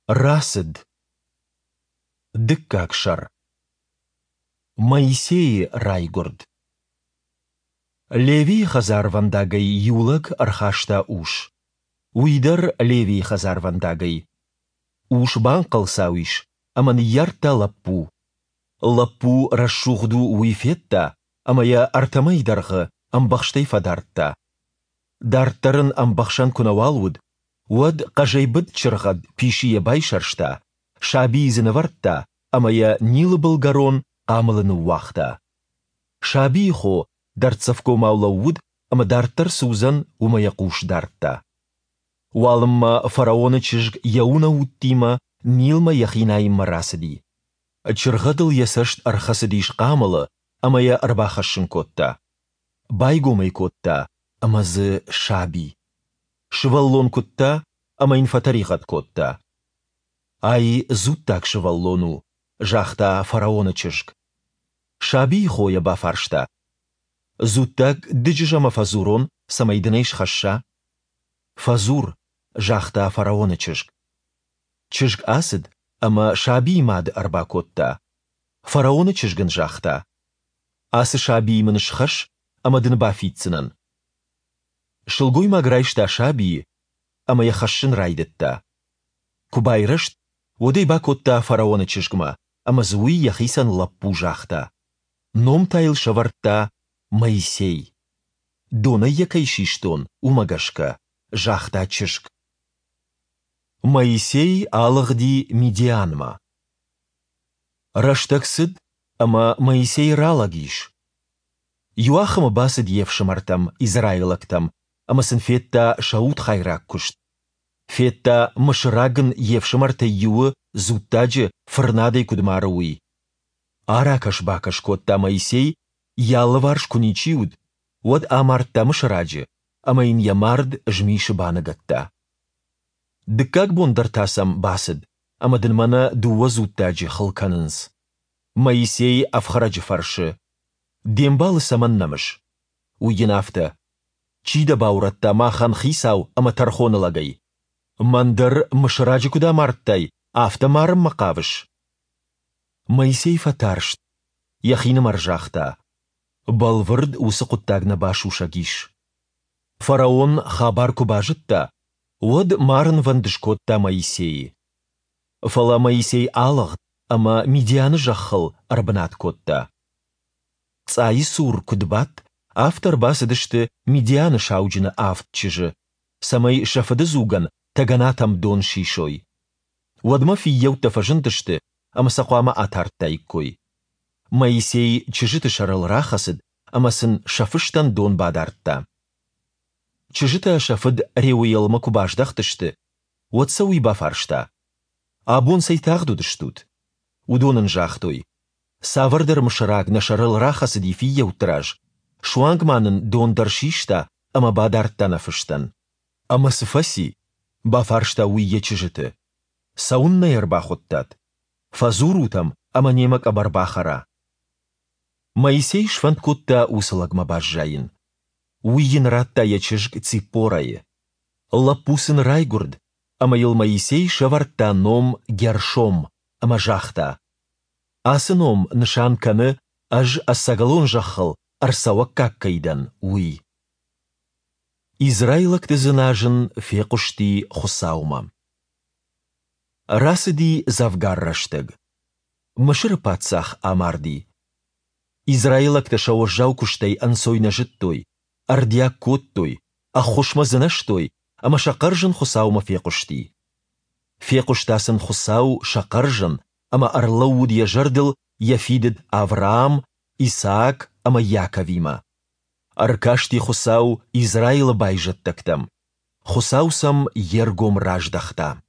Рацыд. Дыккаг сӕр. Моисейы райгуырд. Левийы хӕдзарвӕндагӕй иу лӕг ӕрхаста ус. Уый дӕр Левийы хӕдзарвӕндагӕй. Ус банхъӕлцау ис ӕмӕ ныййардта лӕппу. Лӕппу рӕсугъд у, уый федта ӕмӕ йӕ ӕртӕ мӕйы дӕргъы ӕмбӕхстӕй фӕдардта. Дарддӕр ын ӕмбӕхсӕн куы нӕуал уыд, уӕд хъӕзӕй быд чыргъӕд писийӕ байсӕрста, сабийы дзы нывӕрдта ӕмӕ йӕ Нилы былгӕрон хъамылы ныууагъта. Сабийы хо дӕрддзӕфгомау лӕууыд ӕмӕ дарддӕр цы уыдзӕн, уымӕ йӕ хъус дардта. Уалынмӕ фараоны чызг йӕ унӕуттимӕ Нилмӕ йӕхи найынмӕ рацыди. Чыргъӕдыл йӕ цӕст ӕрхӕцыдис хъамылы ӕмӕ йӕ ӕрбахӕссын кодта. Байгом ӕй кодта, ӕмӕ дзы саби. Сывӕллон куыдта ӕмӕ йын фӕтӕригъӕд кодта. Ай дзуттаг сывӕллон у, загъта фараоны чызг. Сабийы хо йӕ бафарста: Дзуттаг дыджызӕмӕ фӕдзурон, цӕмӕй дын ӕй схӕсса? Фӕдзур, загъта фараоны чызг. Чызг ацыд ӕмӕ сабийы мады ӕрбакодта. Фараоны чызг ын загъта: Ацы сабийы мын схӕсс, ӕмӕ дын бафиддзынӕн. Сылгоймаг райста сабийы ӕмӕ йӕ хӕссын райдыдта. Куы байрӕзт, уӕд ӕй бакодта фараоны чызгмӕ, ӕмӕ дзы уый йӕхицӕн лӕппу загъта. Ном та йыл сӕвӕрдта Моисей. Донӕй йӕ кӕй систон, уымӕ гӕсгӕ, загъта чызг. Моисей алыгъди Мидианмӕ. Рӕстӕг цыд, ӕмӕ Моисей ралӕг ис. Иуахӕмы бацыд йе фсымӕртӕм, израилӕгтӕм, ӕмӕ сын федта сӕ удхайраг куыст. Федта, мысыраг ын йе фсымӕртӕй иуы, дзуттаджы, фырнадӕй куыд мары, уый. Аракӕс-бакӕс кодта Моисей, йӕ алыварс куы ничи уыд, уӕд амардта мысыраджы ӕмӕ йын йӕ мард змисы баныгӕдта. Дыккаг бон дӕр та сӕм бацыд, ӕмӕ дын мӕнӕ дыууӕ дзуттаджы хыл кӕнынц. Моисей ӕфхӕрӕджы фӕрсы: Де мбалы цӕмӕн нӕмыс? Уый йын афтӕ: Чи дӕ баурӕдта махӕн хицау ӕмӕ тӕрхоны лӕгӕй? Мӕн дӕр мысыраджы куыд амардтай, афтӕ марынмӕ хъавыс? Моисей фӕтарст, йӕхинымӕр загъта: Бӕлвырд уыцы хъуыддаг нӕ басусӕг ис. Фараон хабар куы базыдта, уӕд марынвӕнд скодта Моисейы. Фӕлӕ Моисей алыгъд ӕмӕ Мидианы зӕххыл ӕрбынат кодта. Цъайы цур куыд бадт, афтӕ ӕрбацыдысты Мидианы сауджыны авд чызджы, цӕмӕй сӕ фыды дзугӕн тӕгӕнатӕм дон сисой. Уӕдмӕ фыййӕуттӕ фӕзындысты ӕмӕ сӕ хъуамӕ атардтаиккой. Моисей чызджыты сӕрыл рахӕцыд ӕмӕ сын сӕ фыстӕн дон бадардта. Чызджытӕ сӕ фыд Реуелмӕ куы баздӕхтысты, уӕд сӕ уый бафарста: Абон цӕй тагъд уыдыстут? Уыдон ын загътой: Цавӕрдӕр мысыраг нӕ сӕрыл рахӕцыди фыййӕутты раз, суанг ма нын дон дӕр систа ӕмӕ бадардта нӕ фыстӕн. Ӕмӕ цы фӕци? бафарста уый йӕ чызджыты. Цӕуыннӕ йӕ ӕрбахуыдтат? Фӕдзурут ӕм ӕмӕ немӕ къӕбӕр бахӕра. Моисей сфӕнд кодта уыцы лӕгмӕ баззайын. Уый йын радта йӕ чызг Циппорӕйы. Лӕппу сын райгуырд, ӕмӕ йыл Моисей сӕвӕрдта ном Гершом ӕмӕ загъта: Ацы ном нысан кӕны, ӕз ӕцӕгӕлон зӕххыл ӕрцӕуӕггаг кӕй дӕн, уый. Израилӕгты дзыназын фехъуысти Хуыцаумӕ. Рацыди дзӕвгар рӕстӕг. Мысыры паддзах амарди. Израилӕгтӕ сӕ уӕззау куыстӕй ӕнцой нӕ зыдтой, ӕрдиаг кодтой, ӕххуысмӕ дзынӕзтой, ӕмӕ сӕ хъӕрзын Хуыцаумӕ фехъуысти. Фехъуыста сын Хуыцау сӕ хъӕрзын ӕмӕ ӕрлӕууыд йӕ зӕрдыл йӕ фидыд Авраам, Исаак ӕмӕ Иаковимӕ. Ӕркасти Хуыцау Израилы байзӕддӕгтӕм. Хуыцау сӕм йе ргом раздӕхта.